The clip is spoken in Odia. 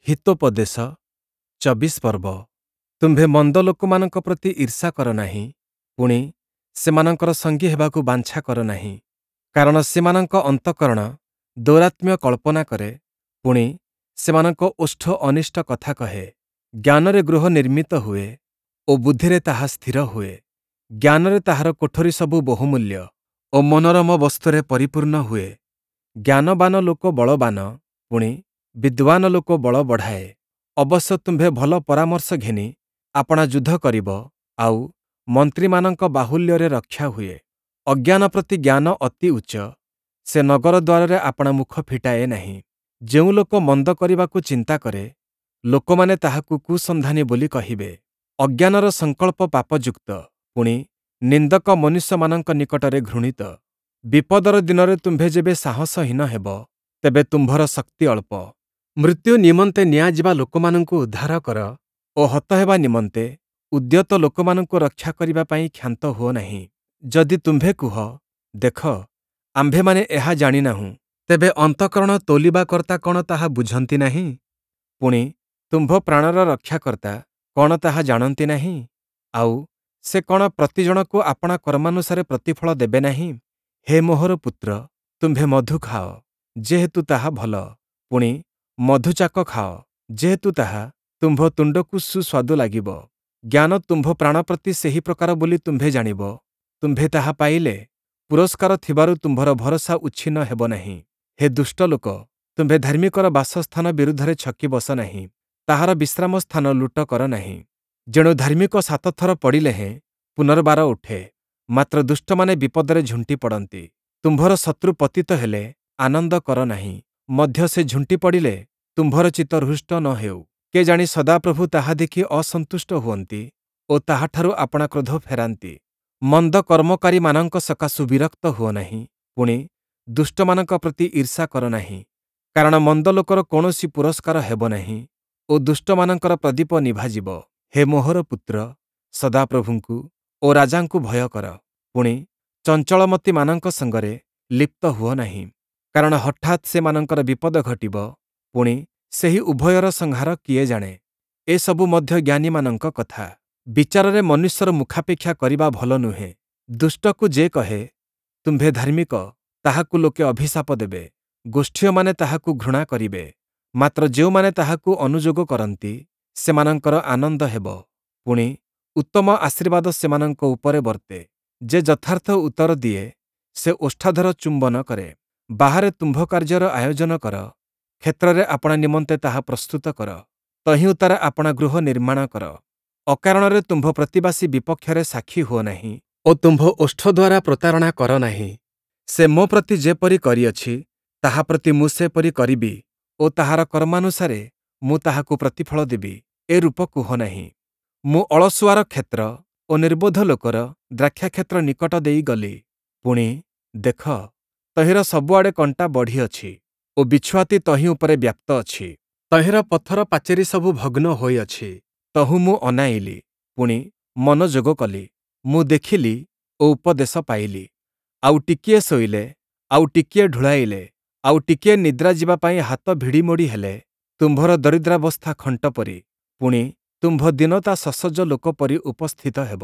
ହିତୋପଦେଶ 24 ପର୍ବ। ତୁମ୍ଭେ ମନ୍ଦ ଲୋକମାନଙ୍କ ପ୍ରତି ଈର୍ଷା କର ନାହିଁ, ପୁଣି, ସେମାନଙ୍କର ସଙ୍ଗୀ ହେବାକୁ ବାଞ୍ଛା କର ନାହିଁ। କାରଣ ସେମାନଙ୍କ ଅନ୍ତଃକରଣ ଦୌରାତ୍ମ୍ୟ କଳ୍ପନା କରେ, ପୁଣି, ସେମାନଙ୍କ ଓଷ୍ଠ ଅନିଷ୍ଟ କଥା କହେ। ଜ୍ଞାନରେ ଗୃହ ନିର୍ମିତ ହୁଏ ଓ ବୁଦ୍ଧିରେ ତାହା ସ୍ଥିର ହୁଏ। ଜ୍ଞାନରେ ତାହାର କୋଠରୀ ସବୁ ବହୁମୂଲ୍ୟ ଓ ମନୋରମ ବସ୍ତୁରେ ପରିପୂର୍ଣ୍ଣ ହୁଏ। ଜ୍ଞାନବାନ ଲୋକ ବଳବାନ, ପୁଣି, ବିଦ୍ୱାନ ଲୋକ ବଳ ବଢ଼ାଏ। ଅବଶ୍ୟ ତୁମ୍ଭେ ଭଲ ପରାମର୍ଶ ଘେନି ଆପଣା ଯୁଦ୍ଧ କରିବ, ଆଉ, ମନ୍ତ୍ରୀମାନଙ୍କ ବାହୁଲ୍ୟରେ ରକ୍ଷା ହୁଏ। ଅଜ୍ଞାନ ପ୍ରତି ଜ୍ଞାନ ଅତି ଉଚ୍ଚ, ସେ ନଗର ଦ୍ୱାରରେ ଆପଣା ମୁଖ ଫିଟାଏ ନାହିଁ। ଯେଉଁ ଲୋକ ମନ୍ଦ କରିବାକୁ ଚିନ୍ତା କରେ, ଲୋକମାନେ ତାହାକୁ କୁସନ୍ଧାନୀ ବୋଲି କହିବେ। ଅଜ୍ଞାନର ସଂକଳ୍ପ ପାପଯୁକ୍ତ, ପୁଣି, ନିନ୍ଦକ ମନୁଷ୍ୟମାନଙ୍କ ନିକଟରେ ଘୃଣିତ। ବିପଦର ଦିନରେ ତୁମ୍ଭେ ଯେବେ ସାହସହୀନ ହେବ, ତେବେ ତୁମ୍ଭର ଶକ୍ତି ଅଳ୍ପ। ମୃତ୍ୟୁ ନିମନ୍ତେ ନିଆଯିବା ଲୋକମାନଙ୍କୁ ଉଦ୍ଧାର କର ଓ ହତ ହେବା ନିମନ୍ତେ ଉଦ୍ୟତ ଲୋକମାନଙ୍କୁ ରକ୍ଷା କରିବା ପାଇଁ କ୍ଷାନ୍ତ ହୁଅ ନାହିଁ। ଯଦି ତୁମ୍ଭେ କୁହ, ଦେଖ, ଆମ୍ଭେମାନେ ଏହା ଜାଣି ନାହୁଁ, ତେବେ ଅନ୍ତଃକରଣ ତୌଲିବା କର୍ତ୍ତା କ'ଣ ତାହା ବୁଝନ୍ତି ନାହିଁ? ପୁଣି, ତୁମ୍ଭ ପ୍ରାଣର ରକ୍ଷାକର୍ତ୍ତା କ'ଣ ତାହା ଜାଣନ୍ତି ନାହିଁ? ଆଉ, ସେ କ'ଣ ପ୍ରତିଜଣକୁ ଆପଣା କର୍ମାନୁସାରେ ପ୍ରତିଫଳ ଦେବେ ନାହିଁ? ହେ ମୋହର ପୁତ୍ର, ତୁମ୍ଭେ ମଧୁ ଖାଅ, ଯେହେତୁ ତାହା ଭଲ, ପୁଣି, ମଧୁଚାକ ଖାଅ, ଯେହେତୁ ତାହା ତୁମ୍ଭ ତୁଣ୍ଡକୁ ସୁସ୍ୱାଦୁ ଲାଗିବ। ଜ୍ଞାନ ତୁମ୍ଭ ପ୍ରାଣ ପ୍ରତି ସେହି ପ୍ରକାର ବୋଲି ତୁମ୍ଭେ ଜାଣିବ। ତୁମ୍ଭେ ତାହା ପାଇଲେ ପୁରସ୍କାର ଥିବାରୁ ତୁମ୍ଭର ଭରସା ଉଚ୍ଛିନ୍ନ ହେବ ନାହିଁ। ହେ ଦୁଷ୍ଟ ଲୋକ, ତୁମ୍ଭେ ଧାର୍ମିକର ବାସସ୍ଥାନ ବିରୁଦ୍ଧରେ ଛକି ବସ ନାହିଁ, ତାହାର ବିଶ୍ରାମ ସ୍ଥାନ ଲୁଟ କର ନାହିଁ। ଯେଣୁ ଧାର୍ମିକ 7 ଥର ପଡ଼ିଲେ ହେଁ ପୁନର୍ବାର ଉଠେ, ମାତ୍ର ଦୁଷ୍ଟମାନେ ବିପଦରେ ଝୁଣ୍ଟି ପଡ଼ନ୍ତି। ତୁମ୍ଭର ଶତ୍ରୁ ପତିତ ହେଲେ ଆନନ୍ଦ କର ନାହିଁ, ମଧ୍ୟ ସେ ଝୁଣ୍ଟି ପଡ଼ିଲେ ତୁମ୍ଭର ଚିତ୍ତ ହୃଷ୍ଟ ନ ହେଉ। କେଜାଣି ସଦାପ୍ରଭୁ ତାହା ଦେଖି ଅସନ୍ତୁଷ୍ଟ ହୁଅନ୍ତି ଓ ତାହାଠାରୁ ଆପଣା କ୍ରୋଧ ଫେରାନ୍ତି। ମନ୍ଦ କର୍ମକାରୀମାନଙ୍କ ସକାଶୁ ବିରକ୍ତ ହୁଅ ନାହିଁ, ପୁଣି, ଦୁଷ୍ଟମାନଙ୍କ ପ୍ରତି ଈର୍ଷା କର ନାହିଁ। କାରଣ ମନ୍ଦ ଲୋକର କୌଣସି ପୁରସ୍କାର ହେବ ନାହିଁ ଓ ଦୁଷ୍ଟମାନଙ୍କର ପ୍ରଦୀପ ନିଭାଯିବ। ହେ ମୋହର ପୁତ୍ର, ସଦାପ୍ରଭୁଙ୍କୁ ଓ ରାଜାଙ୍କୁ ଭୟ କର, ପୁଣି, ଚଞ୍ଚଳମତିମାନଙ୍କ ସଙ୍ଗରେ ଲିପ୍ତ ହୁଅ ନାହିଁ। କାରଣ ହଠାତ୍ ସେମାନଙ୍କର ବିପଦ ଘଟିବ, ପୁଣି, ସେହି ଉଭୟର ସଂହାର କିଏ ଜାଣେ? ଏସବୁ ମଧ୍ୟ ଜ୍ଞାନୀମାନଙ୍କ କଥା। ବିଚାରରେ ମନୁଷ୍ୟର ମୁଖାପେକ୍ଷା କରିବା ଭଲ ନୁହେଁ। ଦୁଷ୍ଟକୁ ଯେ କହେ, ତୁମ୍ଭେ ଧାର୍ମିକ, ତାହାକୁ ଲୋକେ ଅଭିଶାପ ଦେବେ, ଗୋଷ୍ଠୀୟମାନେ ତାହାକୁ ଘୃଣା କରିବେ। ମାତ୍ର ଯେଉଁମାନେ ତାହାକୁ ଅନୁଯୋଗ କରନ୍ତି, ସେମାନଙ୍କର ଆନନ୍ଦ ହେବ, ପୁଣି, ଉତ୍ତମ ଆଶୀର୍ବାଦ ସେମାନଙ୍କ ଉପରେ ବର୍ତ୍ତେ। ଯେ ଯଥାର୍ଥ ଉତ୍ତର ଦିଏ, ସେ ଓଷ୍ଠାଧର ଚୁମ୍ବନ କରେ। ବାହାରେ ତୁମ୍ଭ କାର୍ଯ୍ୟର ଆୟୋଜନ କର, କ୍ଷେତ୍ରରେ ଆପଣା ନିମନ୍ତେ ତାହା ପ୍ରସ୍ତୁତ କର, ତହିଁ ଉତ୍ତାରେ ଆପଣା ଗୃହ ନିର୍ମାଣ କର। ଅକାରଣରେ ତୁମ୍ଭ ପ୍ରତିବାସୀ ବିପକ୍ଷରେ ସାକ୍ଷୀ ହୁଅ ନାହିଁ ଓ ତୁମ୍ଭ ଓଷ୍ଠ ଦ୍ୱାରା ପ୍ରତାରଣା କର ନାହିଁ। ସେ ମୋ ପ୍ରତି ଯେପରି କରିଅଛି, ତାହା ପ୍ରତି ମୁଁ ସେପରି କରିବି ଓ ତାହାର କର୍ମାନୁସାରେ ମୁଁ ତାହାକୁ ପ୍ରତିଫଳ ଦେବି, ଏ ରୂପ କୁହ ନାହିଁ। ମୁଁ ଅଳସୁଆର କ୍ଷେତ୍ର ଓ ନିର୍ବୋଧ ଲୋକର ଦ୍ରାକ୍ଷାକ୍ଷେତ୍ର ନିକଟ ଦେଇ ଗଲି। ପୁଣି, ଦେଖ, ତହିଁର ସବୁଆଡ଼େ କଣ୍ଟା ବଢ଼ିଅଛି ଓ ବିଛୁଆତି ତହିଁ ଉପରେ ବ୍ୟାପ୍ତ ଅଛି। ତହିଁର ପଥର ପାଚେରୀ ସବୁ ଭଗ୍ନ ହୋଇଅଛି। ତହୁଁ ମୁଁ ଅନାଇଲି, ପୁଣି, ମନୋଯୋଗ କଲି। ମୁଁ ଦେଖିଲି ଓ ଉପଦେଶ ପାଇଲି। ଆଉ ଟିକିଏ ଶୋଇଲେ, ଆଉ ଟିକିଏ ଢୁଳାଇଲେ, ଆଉ ଟିକିଏ ନିଦ୍ରା ଯିବା ପାଇଁ ହାତ ଭିଡ଼ିମୋଡ଼ି ହେଲେ, ତୁମ୍ଭର ଦରିଦ୍ରାବସ୍ଥା ଖଣ୍ଟ ପରି, ପୁଣି, ତୁମ୍ଭ ଦୀନତା ସସଜ୍ଜ ଲୋକ ପରି ଉପସ୍ଥିତ ହେବ।